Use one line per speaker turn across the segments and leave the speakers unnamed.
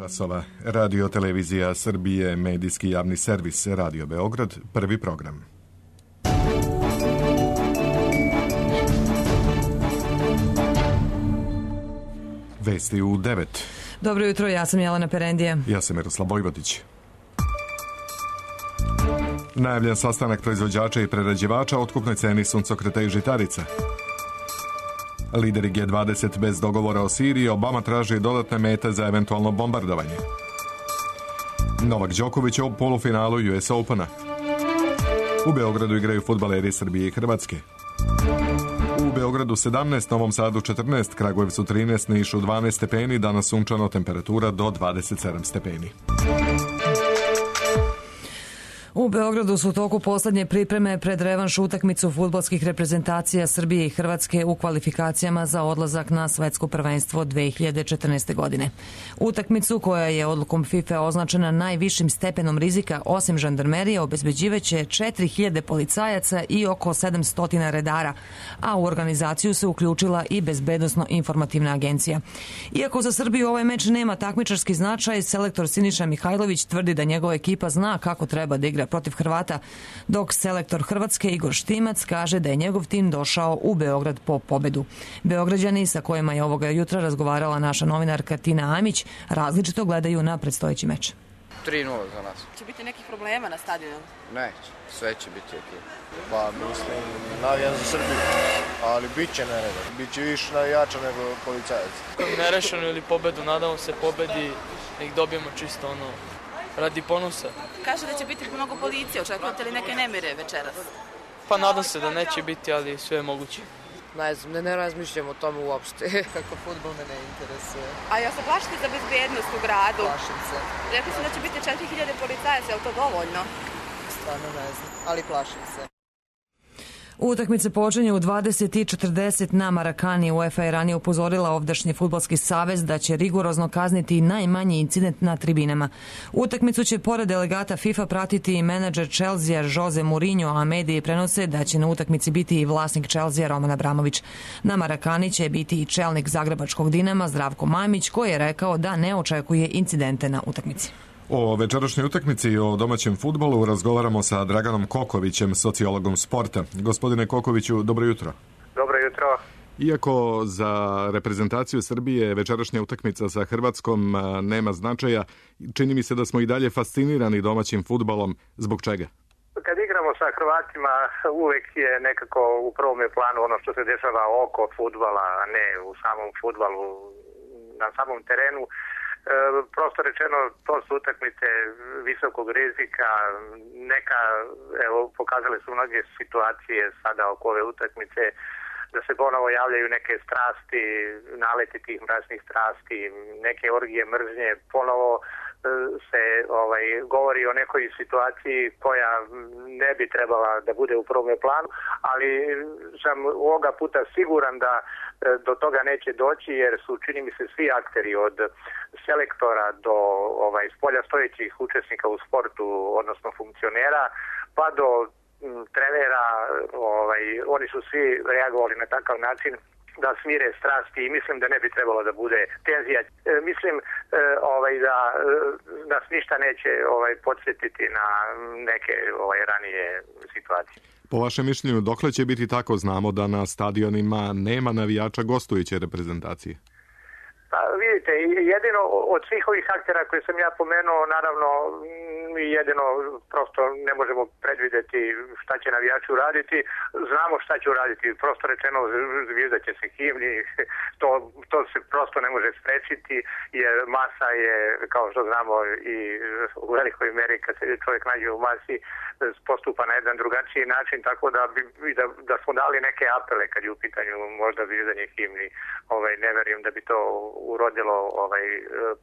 časova. Radio Televizija Srbije, medijski javni servis Radio Beograd, prvi program. Vesti u 9.
Dobro jutro, ja sam Jelena Perendija.
Ja sam Miroslav Vojvodić. Najavljen sastanak proizvođača i prerađivača o otkupnoj ceni suncokreta i žitarica. Lideri G20 bez dogovora o Siriji, Obama traži dodatne mete za eventualno bombardovanje. Novak Đoković u polufinalu US Opena. U Beogradu igraju fudbaleri Srbije i Hrvatske. U Beogradu 17, Novom Sadu 14, Kragujevcu 13, Nišu 12 stepeni, danas sunčano, temperatura do 27 stepeni.
U Beogradu su u toku poslednje pripreme pred revanš utakmicu fudbalskih reprezentacija Srbije i Hrvatske u kvalifikacijama za odlazak na svetsko prvenstvo 2014. godine. Utakmicu, koja je odlukom FIFA označena najvišim stepenom rizika osim žandarmerije, obezbeđivaće 4000 policajaca i oko 700 redara, a u organizaciju se uključila i Bezbednosno-informativna agencija. Iako za Srbiju ovaj meč nema takmičarski značaj, selektor Siniša Mihajlović tvrdi da njegova ekipa zna kako treba da igra protiv Hrvata, dok selektor Hrvatske Igor Štimac kaže da je njegov tim došao u Beograd po pobedu. Beograđani, sa kojima je ovoga jutra razgovarala naša novinarka Tina Amić, različito gledaju na predstojeći meč.
3-0 za nas.
Će biti nekih problema na stadionu?
Neće, sve će biti okej. Pa mislim, navijam za Srbiju, ali bit će nereda. Biće više navijača nego policajaca.
Nerešeno ili pobedu, nadamo se pobedi, nek dobijemo čisto radi ponosa.
Kaže da će biti mnogo policije, očekujete li neke nemire večeras?
Pa nadam se da neće biti, ali sve je moguće.
Ne znam, ne razmišljam o tome uopšte. Kako fudbal me ne interesuje.
A ja se plašite za bezbednost u gradu?
Plašim se.
Rekli su da će biti 4000 policajaca, je li to dovoljno?
Stvarno ne znam, ali plašim se.
Utakmice počinje u 20:40 na Marakani. UEFA je ranije upozorila ovdašnji fudbalski savez da će rigorozno kazniti najmanji incident na tribinama. Utakmicu će pored delegata FIFA pratiti i menadžer Chelsea Jose Mourinho, a mediji prenose da će na utakmici biti i vlasnik Chelsea Roman Abramović. Na Marakani će biti i čelnik zagrebačkog Dinama Zdravko Mamić, koji je rekao da ne očekuje incidente na utakmici.
O večerašnjoj utakmici i o domaćem fudbalu razgovaramo sa Draganom Kokovićem, sociologom sporta. Gospodine Kokoviću, dobro jutro.
Dobro jutro.
Iako za reprezentaciju Srbije večerašnja utakmica sa Hrvatskom nema značaja, čini mi se da smo i dalje fascinirani domaćim fudbalom. Zbog čega?
Kad igramo sa Hrvatima, uvek je nekako u prvom planu ono što se dešava oko fudbala, a ne u samom fudbalu, na samom terenu. Prosto rečeno, to su utakmice visokog rizika, pokazale su mnoge situacije sada oko ove utakmice, da se ponovo javljaju neke strasti, naleti tih mračnih strasti, neke orgije mržnje, ponovo se govori o nekoj situaciji koja ne bi trebala da bude u prvom planu, ali sam ovoga puta siguran da do toga neće doći, jer su, čini mi se, svi akteri od selektora do spolja stojećih učesnika u sportu, odnosno funkcionera, pa do trenera, oni su svi reagovali na takav način da smire strasti i mislim da ne bi trebalo da bude tenzija. Mislim da nas ništa neće podsjetiti na neke ranije situacije.
Po vašem mišljenju, dokle će biti tako? Znamo da na stadionima nema navijača gostujuće reprezentacije.
Pa vidite, jedino od svih ovih aktera koje sam ja pomenuo, naravno jedino prosto ne možemo predvideti šta će navijači uraditi. Znamo šta će uraditi, prosto rečeno zvizdat će se himni, to se prosto ne može sprečiti, jer masa je, kao što znamo, i u velikoj meri kad se čovjek nađe u masi postupa na jedan drugačiji način, tako da smo dali neke apele kad je u pitanju možda zvizdanje himni. Ne verujem da bi to urodilo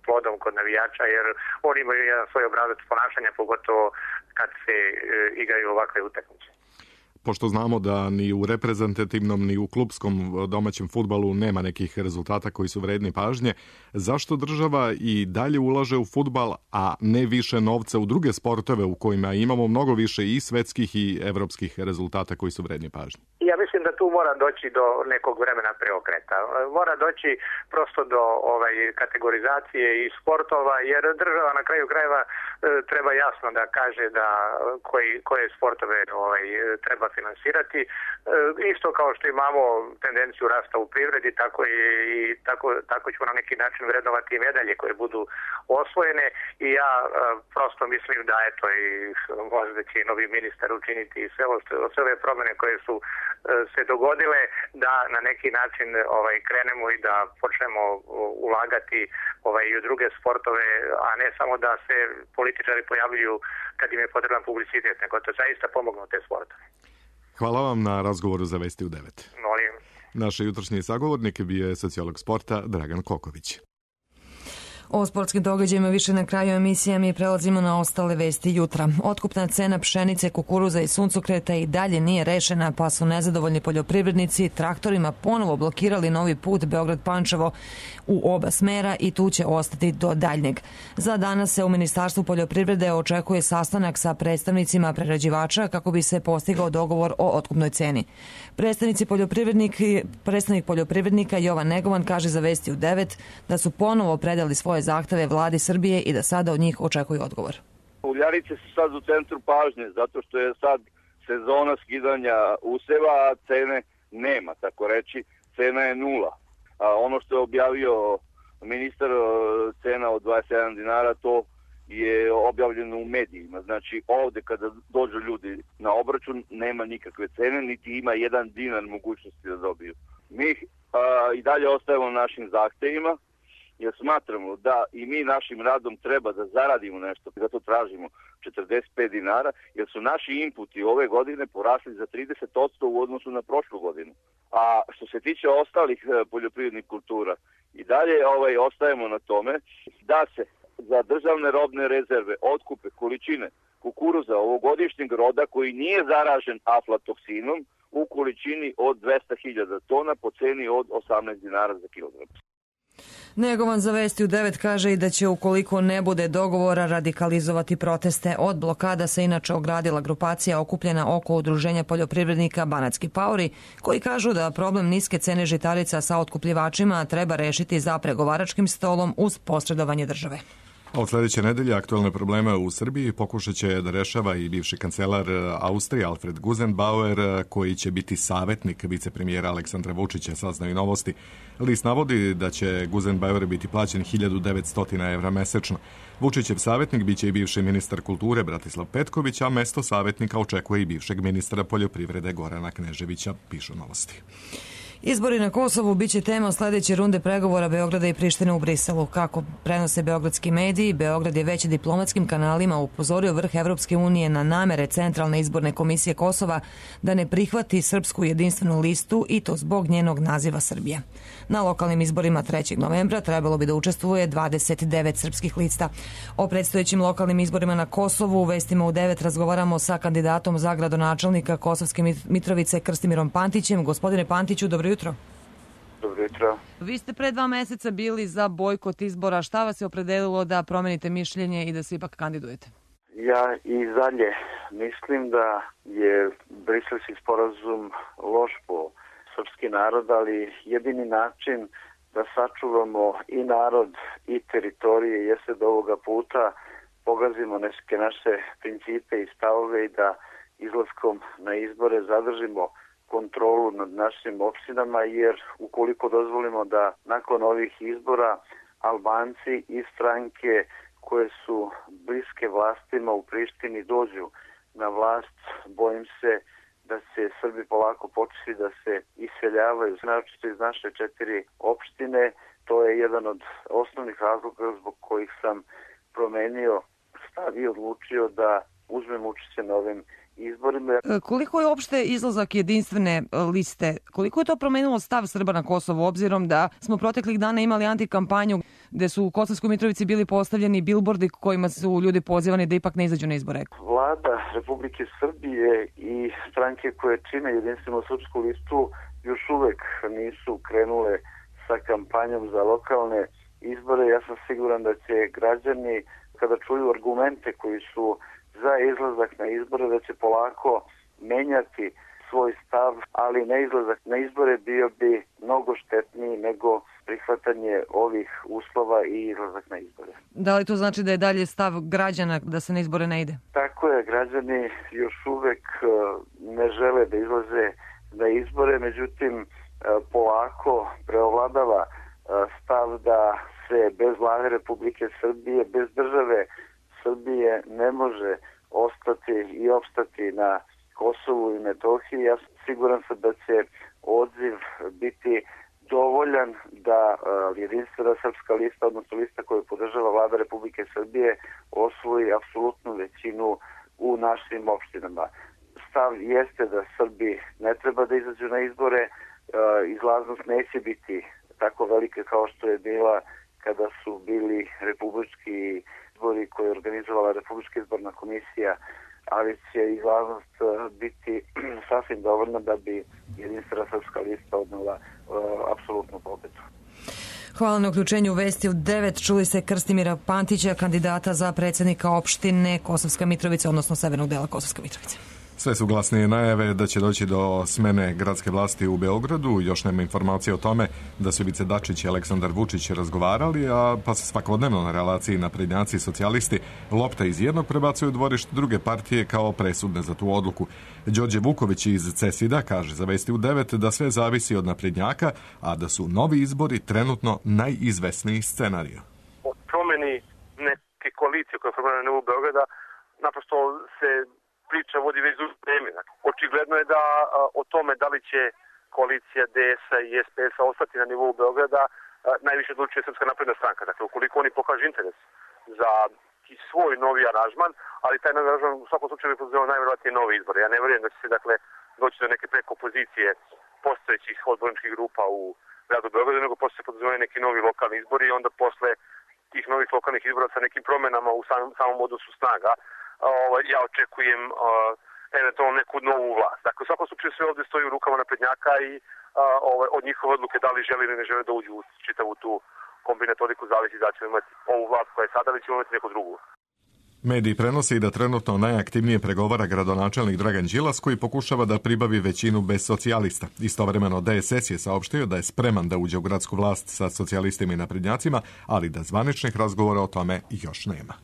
plodom kod navijača, jer oni imaju jedan svoj obrazac ponašanja, pogotovo kad se igraju ovakve utakmice.
Pošto znamo da ni u reprezentativnom ni u klupskom domaćem fudbalu nema nekih rezultata koji su vredni pažnje, zašto država i dalje ulaže u fudbal, a ne više novca u druge sportove u kojima imamo mnogo više i svetskih i evropskih rezultata koji su vredni pažnje?
I ja mislim da tu mora doći do nekog vremena preokreta. Mora doći prosto do kategorizacije i sportova, jer država na kraju krajeva treba jasno da kaže da koje sportove treba finansirati. Isto kao što imamo tendenciju rasta u privredi, tako ćemo na neki način vrednovati i medalje koje budu osvojene i ja prosto mislim da i možda će i novi ministar učiniti sve ove promjene koje su se dogodile, da na neki način krenemo i da počnemo ulagati i u druge sportove, a ne samo da se političari pojavljuju kad im je potreban publicitet, nego to zaista pomognu te sportove.
Hvala vam na razgovoru za Vesti u 9.
Molim.
Naš jutrošnji sagovornik bio je sociolog sporta Dragan Koković.
O sportskim događajima više na kraju emisije, mi prelazimo na ostale vesti jutra. Otkupna cena pšenice, kukuruza i suncokreta i dalje nije rešena, pa su nezadovoljni poljoprivrednici traktorima ponovo blokirali novi put Beograd-Pančevo u oba smera i tu će ostati do daljnjeg. Za danas se u Ministarstvu poljoprivrede očekuje sastanak sa predstavnicima prerađivača kako bi se postigao dogovor o otkupnoj ceni. Predstavnik poljoprivrednika Jovan Negovan kaže za Vesti u 9 da su ponovo predali svoje zahteve vladi Srbije i da sada od njih očekuju odgovor.
Uljarice su sad u centru pažnje zato što je sad sezona skidanja useva, a cene nema, tako reći, cena je nula. A ono što je objavio ministar, cena od 27 dinara, to je objavljeno u medijima. Znači ovde kada dođu ljudi na obračun nema nikakve cene, niti ima 1 dinar mogućnosti da dobiju. Mi i dalje ostajemo našim zahtevima, jer smatramo da i mi našim radom treba da zaradimo nešto, zato tražimo 45 dinara, jer su naši inputi ove godine porasli za 30% u odnosu na prošlu godinu. A što se tiče ostalih poljoprivrednih kultura, i dalje ostajemo na tome da se za državne robne rezerve otkupe količine kukuruza ovogodišnjeg roda koji nije zaražen aflatoksinom u količini od 200.000 tona po ceni od 18 dinara za kilogram.
Negovan za Vesti u 9 kaže i da će, ukoliko ne bude dogovora, radikalizovati proteste. Od blokada se inače ogradila grupacija okupljena oko udruženja poljoprivrednika Banatski paori, koji kažu da problem niske cene žitarica sa otkupljivačima treba rešiti za pregovaračkim stolom uz posredovanje države.
Od sljedeće nedelje aktualne probleme u Srbiji pokušat će da rešava i bivši kancelar Austrije Alfred Gusenbauer, koji će biti savjetnik vicepremijera Aleksandra Vučića, saznaju Novosti. List navodi da će Gusenbauer biti plaćen 1900 evra mesečno. Vučićev savjetnik biće i bivši ministar kulture Bratislav Petković, a mesto savjetnika očekuje i bivšeg ministra poljoprivrede Gorana Kneževića, pišu Novosti.
Izbori na Kosovu biće tema sljedeće runde pregovora Beograda i Prištine u Briselu. Kako prenose beogradski mediji, Beograd je već diplomatskim kanalima upozorio vrh Evropske unije na namere Centralne izborne komisije Kosova da ne prihvati srpsku jedinstvenu listu i to zbog njenog naziva Srbije. Na lokalnim izborima 3. novembra trebalo bi da učestvuje 29 srpskih lista. O predstojećim lokalnim izborima na Kosovu u Vestima u 9 razgovaramo sa kandidatom za gradonačelnika Kosovske Mitrovice Krstimirom Pantićem. Gospodine Pantiću, dobro jutro.
Dobro jutro.
Vi ste pre 2 meseca bili za bojkot izbora. Šta vas je opredelilo da promenite mišljenje i da se ipak kandidujete?
Ja i dalje mislim da je Briselski sporazum loš po srpski narod, ali jedini način da sačuvamo i narod i teritorije jeste da ovoga puta pogazimo neke naše principe i stavove i da izlaskom na izbore zadržimo kontrolu nad našim opštinama, jer ukoliko dozvolimo da nakon ovih izbora Albanci i stranke koje su bliske vlastima u Prištini dođu na vlast, bojim se da će Srbi polako početi da se iseljavaju, naročito iz naše 4 opštine. To je jedan od osnovnih razloga zbog kojih sam promenio stav i odlučio da uzmem učešće na ovim izborima.
Koliko je opšte izlazak jedinstvene liste, koliko je to promenilo stav Srba na Kosovu, obzirom da smo proteklih dana imali antikampanju gde su u Kosovskoj Mitrovici bili postavljeni bilbordi kojima su ljudi pozivani da ipak ne izađu na izbore?
Vlada Republike Srbije i stranke koje čine jedinstvenu srpsku listu još uvek nisu krenule sa kampanjom za lokalne izbore. Ja sam siguran da će građani, kada čuju argumente koji su za izlazak na izbore, da će polako menjati svoj stav, ali neizlazak na izbore bio bi mnogo štetniji nego prihvatanje ovih uslova i izlazak na izbore.
Da li to znači da je dalje stav građana da se na izbore ne ide?
Tako je, građani još uvek ne žele da izlaze na izbore, međutim polako preovladava stav da se bez vlade Republike Srbije, bez države Srbije ne može ostati i opstati na Kosovu i Metohiji. Ja sam siguran sam da će odziv biti dovoljan da jedinstvena srpska lista, odnosno lista koju podržava vlada Republike Srbije, osvoji apsolutnu većinu u našim opštinama. Stav jeste da Srbi ne treba da izađu na izbore, izlaznost neće biti tako velika kao što je bila kada su bili republički izbori koje je organizovala Republička izborna komisija, ali će izlaznost biti sasvim dovoljna da bi jedinstvena srpska lista odnela apsolutnu pobedu.
Hvala na uključenju u Vesti u 9. Čuli se Krstimira Pantića, kandidata za predsjednika opštine Kosovska Mitrovica, odnosno severnog dela Kosovske Mitrovice.
Sve su glasnije najave da će doći do smene gradske vlasti u Beogradu. Još nema informacije o tome da su Ivica Dačić i Aleksandar Vučić razgovarali, pa se svakodnevno na relaciji naprednjaci i socijalisti lopta iz jednog prebacuju u dvorište druge partije kao presudne za tu odluku. Đorđe Vuković iz CESID-a kaže za Vesti u 9 da sve zavisi od naprednjaka, a da su novi izbori trenutno najizvesniji scenarij.
O promeni neke koalicije koja je formirana na nivou Beograda naprosto se priča vodi već duže vreme. Očigledno je da o tome da li će koalicija DS-a i SPS-a ostati na nivou Beograda najviše odlučuje Srpska napredna stranka. Dakle, ukoliko oni pokažu interes za svoj novi aranžman, ali taj novi aranžman u svakom slučaju bi podrazumevao najverovatnije nove izbore. Ja ne vjerujem da će se doći do neke preko pozicije postojećih odborničkih grupa u gradu Beogradu, nego posle se podrazumevaju neki novi lokalni izbori i onda posle tih novih lokalnih izbora sa nekim promenama u samom odnosu snaga ja očekujem eventualno neku novu vlast. Dakle, u svakom slučaju sve ovdje stoji u rukama naprednjaka i od njihove odluke da li žele ili ne žele da uđu u čitavu tu kombinatoriku zavisi da ćemo imati ovu vlast koja je sada ili ćemo imati neku drugu.
Mediji prenose i da trenutno najaktivnije pregovara gradonačelnik Dragan Đilas koji pokušava da pribavi većinu bez socijalista. Istovremeno DSS je saopštio da je spreman da uđe u gradsku vlast sa socijalistima i naprednjacima, ali da zvaničnih razgovora o tome još nema.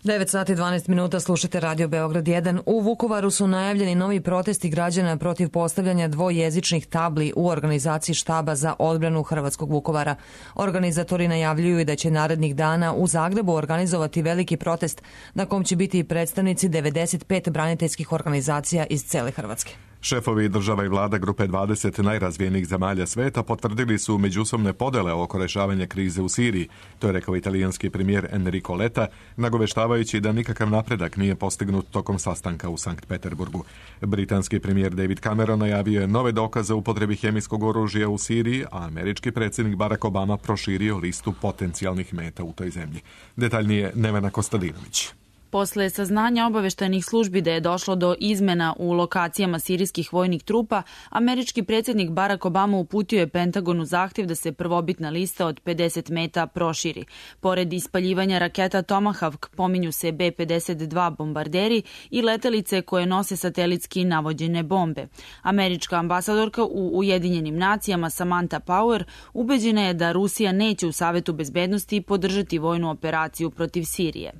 9 sati 12 minuta, slušate Radio Beograd 1. U Vukovaru su najavljeni novi protesti građana protiv postavljanja dvojezičnih tabli u organizaciji štaba za odbranu Hrvatskog Vukovara. Organizatori najavljuju i da će narednih dana u Zagrebu organizovati veliki protest na kom će biti predstavnici 95 braniteljskih organizacija iz cele Hrvatske.
Šefovi država i vlada grupe 20 najrazvijenijih zemalja sveta potvrdili su međusobne podele oko rešavanja krize u Siriji. To je rekao italijanski premijer Enrico Letta, nagoveštavajući da nikakav napredak nije postignut tokom sastanka u Sankt Peterburgu. Britanski premijer David Cameron najavio je nove dokaze o upotrebi hemijskog oružja u Siriji, a američki predsjednik Barack Obama proširio listu potencijalnih meta u toj zemlji. Detaljnije Nevena Kostadinović.
Posle saznanja obaveštajnih službi da je došlo do izmena u lokacijama sirijskih vojnih trupa, američki predsjednik Barack Obama uputio je Pentagonu zahtjev da se prvobitna lista od 50 meta proširi. Pored ispaljivanja raketa Tomahawk pominju se B-52 bombarderi i letelice koje nose satelitski navođene bombe. Američka ambasadorka u Ujedinjenim nacijama Samantha Power ubeđena je da Rusija neće u Savetu bezbednosti podržati vojnu operaciju protiv Sirije.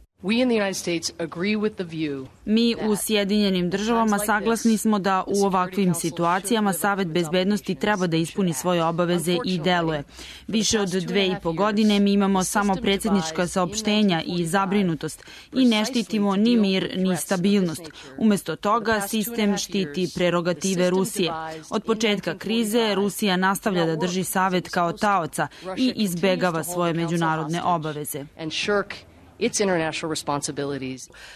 Mi u Sjedinjenim državama saglasni smo da u ovakvim situacijama Savet bezbednosti treba da ispuni svoje obaveze i deluje. Više od 2,5 godine mi imamo samo predsjednička saopštenja i zabrinutost i ne štitimo ni mir ni stabilnost. Umjesto toga sistem štiti prerogative Rusije. Od početka krize Rusija nastavlja da drži Savet kao taoca i izbegava svoje međunarodne obaveze.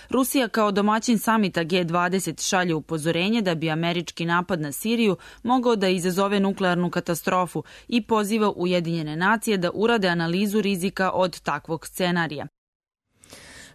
Rusija kao domaćin samita G20 šalje upozorenje da bi američki napad na Siriju mogao da izazove nuklearnu katastrofu i poziva Ujedinjene nacije da urade analizu rizika od takvog scenarija.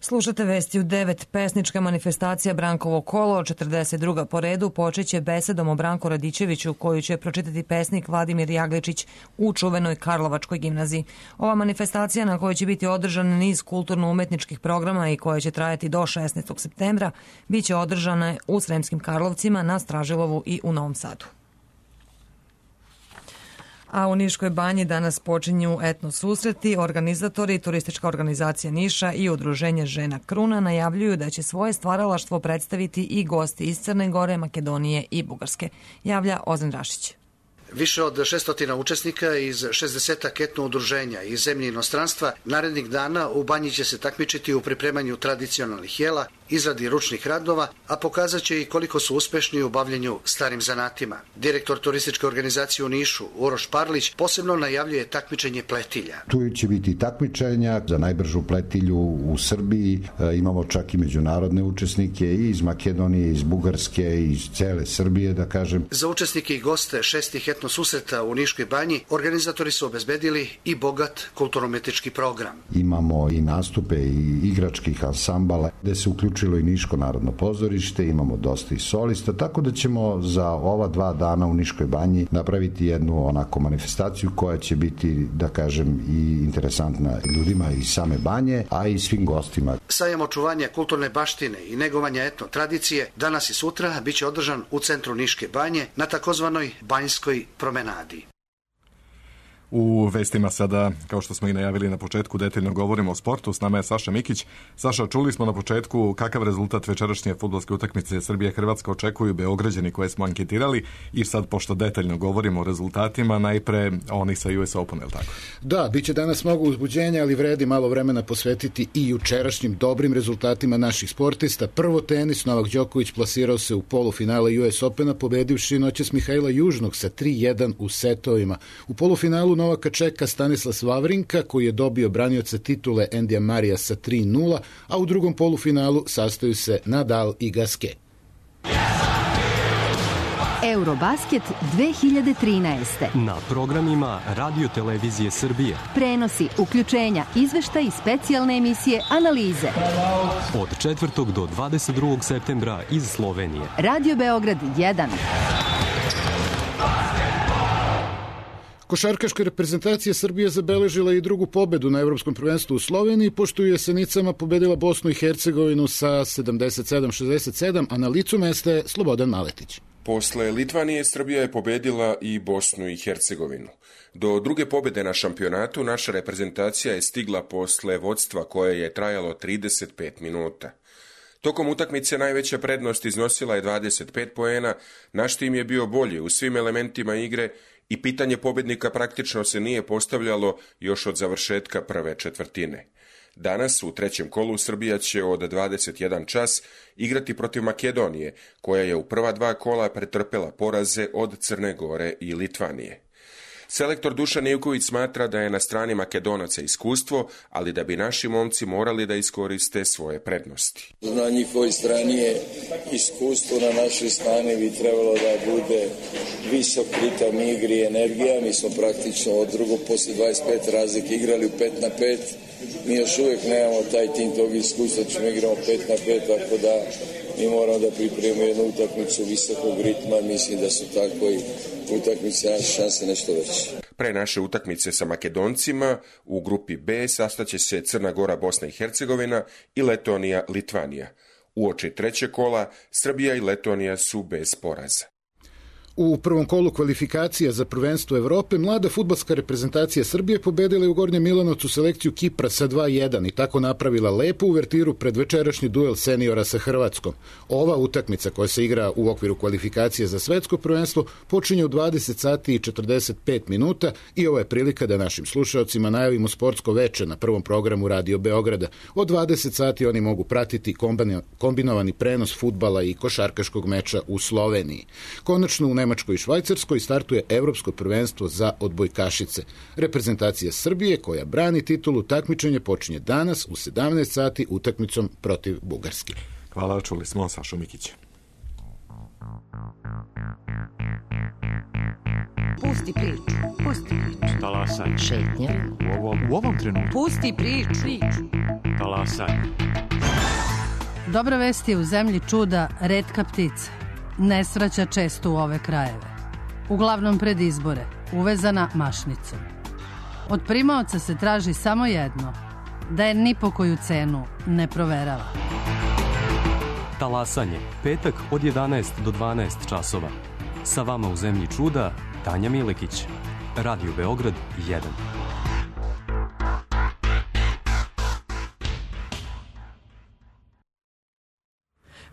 Slušate vesti u 9. Pesnička manifestacija Brankovo kolo, 42. po redu, počeće besedom o Branku Radičeviću, koju će pročitati pesnik Vladimir Jagličić u čuvenoj Karlovačkoj gimnaziji. Ova manifestacija, na kojoj će biti održan niz kulturno-umetničkih programa i koja će trajati do 16. septembra, bit će održana u Sremskim Karlovcima, na Stražilovu i u Novom Sadu. A u Niškoj banji danas počinju etno susreti. Organizatori, turistička organizacija Niša i udruženje Žena Kruna najavljuju da će svoje stvaralaštvo predstaviti i gosti iz Crne Gore, Makedonije i Bugarske. Javlja Ozren Rašić.
Više od 600 učesnika iz 60 etno udruženja iz zemlje i inostranstva narednih dana u banji će se takmičiti u pripremanju tradicionalnih jela, izradi ručnih radova, a pokazat će i koliko su uspešni u bavljenju starim zanatima. Direktor turističke organizacije u Nišu, Uroš Parlić, posebno najavljuje takmičenje pletilja.
Tu će biti takmičenja za najbržu pletilju u Srbiji. Imamo čak i međunarodne učesnike i iz Makedonije, iz Bugarske, iz cele Srbije, da kažem.
Za učesnike i goste šestih etno susreta u Niškoj banji organizatori su obezbedili i bogat kulturno-umetnički program.
Imamo i nastupe i igračkih ansambala, gde se uključilo i Niško narodno pozorište, imamo dosta i solista, tako da ćemo za ova 2 dana u Niškoj banji napraviti jednu onako manifestaciju koja će biti, da kažem, i interesantna ljudima iz same banje, a i svim gostima.
Sajam očuvanja kulturne baštine i negovanja etno tradicije danas i sutra biće održan u centru Niške banje na takozvanoj Banjskoj promenadi.
U vestima sada, kao što smo i najavili na početku, detaljno govorimo o sportu. S nama je Saša Mikić. Saša, čuli smo na početku kakav rezultat večerašnje fudbalske utakmice Srbije-Hrvatska očekuju Beograđani koje smo anketirali i sad, pošto detaljno govorimo o rezultatima, najpre onih sa US Open, je li tako?
Da, bit će danas mnogo uzbuđenja, ali vredi malo vremena posvetiti i jučerašnjim dobrim rezultatima naših sportista. Prvo tenis, Novak Đoković plasirao se u polufinale US Opena, pobedivši noćas Mihajla Južnog sa 3-1 u setovima. U polufinalu Novaka čeka Stanislas Wawrinka, koji je dobio branioca titule Endija Marija sa 3-0, a u drugom polufinalu sastaju se Nadal i Gasquet.
Eurobasket 2013.
Na programima Radio Televizije Srbije.
Prenosi, uključenja, izveštaj i specijalne emisije, analize.
Od 4. do 22. septembra iz Slovenije.
Radio Beograd 1.
Košarkaška reprezentacija Srbije zabeležila i drugu pobedu na Evropskom prvenstvu u Sloveniji, pošto je Jesenicama pobedila Bosnu i Hercegovinu sa 77-67, a na licu mesta je Slobodan Maletić.
Posle Litvanije, Srbija je pobedila i Bosnu i Hercegovinu. Do druge pobede na šampionatu naša reprezentacija je stigla posle vodstva koje je trajalo 35 minuta. Tokom utakmice najveća prednost iznosila je 25 poena, naš tim je bio bolji u svim elementima igre i pitanje pobednika praktično se nije postavljalo još od završetka prve četvrtine. Danas u trećem kolu Srbija će od 21 čas igrati protiv Makedonije, koja je u prva 2 kola pretrpela poraze od Crne Gore i Litvanije. Selektor Dušan Ivković smatra da je na strani Makedonaca iskustvo, ali da bi naši momci morali da iskoriste svoje prednosti.
Na njihovoj strani je iskustvo, na našoj strani bi trebalo da bude visok ritam igri i energija. Mi smo praktično od drugog posle 25 razlike igrali u 5-5. Mi još uvijek nemamo taj tim tog iskustva, ćemo igramo 5-5, tako da mi moramo da pripremimo jednu utakmicu visokog ritma. Mislim da su tako i utakmice naše šanse nešto veće.
Pre naše utakmice sa Makedoncima u grupi B sastaće se Crna Gora, Bosna i Hercegovina i Letonija, Litvanija. Uoči trećeg kola Srbija i Letonija su bez poraza.
U prvom kolu kvalifikacija za prvenstvo Evrope mlada fudbalska reprezentacija Srbije pobedila je u Gornjem Milanovcu selekciju Kipra sa 2-1 i tako napravila lepu uvertiru pred večerašnji duel seniora sa Hrvatskom. Ova utakmica koja se igra u okviru kvalifikacije za svetsko prvenstvo počinje u 20 sati i 45 minuta i ovo je prilika da našim slušaocima najavimo sportsko veče na prvom programu Radio Beograda. Od 20 sati oni mogu pratiti kombinovani prenos fudbala i košarkaškog meča u Sloveniji. Konačno u Nemačkoj i Švajcarskoj startuje Evropsko prvenstvo za odbojkašice. Reprezentacija Srbije koja brani titulu takmičenja počinje danas u 17 sati utakmicom protiv Bugarske.
Hvala, čuli smo Sašu Mikića.
Pusti priču, pusti priču.
Talasaj.
Šetnja.
U ovom trenutku.
Pusti priču.
Talasaj.
Dobra vest je u zemlji čuda retka ptica. Ne svraća često u ove krajeve. Uglavnom pred izbore, uvezana mašnicom. Od primaoca se traži samo jedno, da je ni po koju cenu ne proverava.
Talasanje, petak od 11 do 12 časova. Sa vama u zemlji čuda, Tanja Milekić. Radio Beograd 1.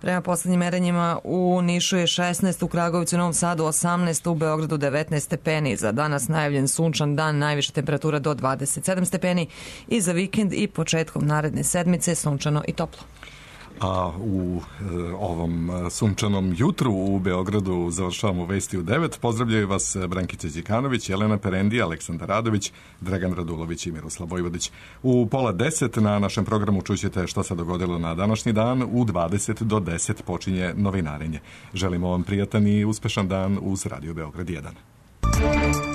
Prema poslednjim merenjima u Nišu je 16, u Kragovicu i Novom Sadu 18, u Beogradu 19 stepeni. Za danas najavljen sunčan dan, najviša temperatura do 27 stepeni i za vikend i početkom naredne sedmice sunčano i toplo.
A u ovom sunčanom jutru u Beogradu završavamo vesti u 9. Pozdravljaju vas Brankica Đikanović, Jelena Perendi, Aleksandar Radović, Dragan Radulović i Miroslav Vojvodić. U 9:30 na našem programu čućete šta se dogodilo na današnji dan. U 20 do 10 počinje novinarenje. Želimo vam prijatan i uspešan dan uz Radio Beograd 1.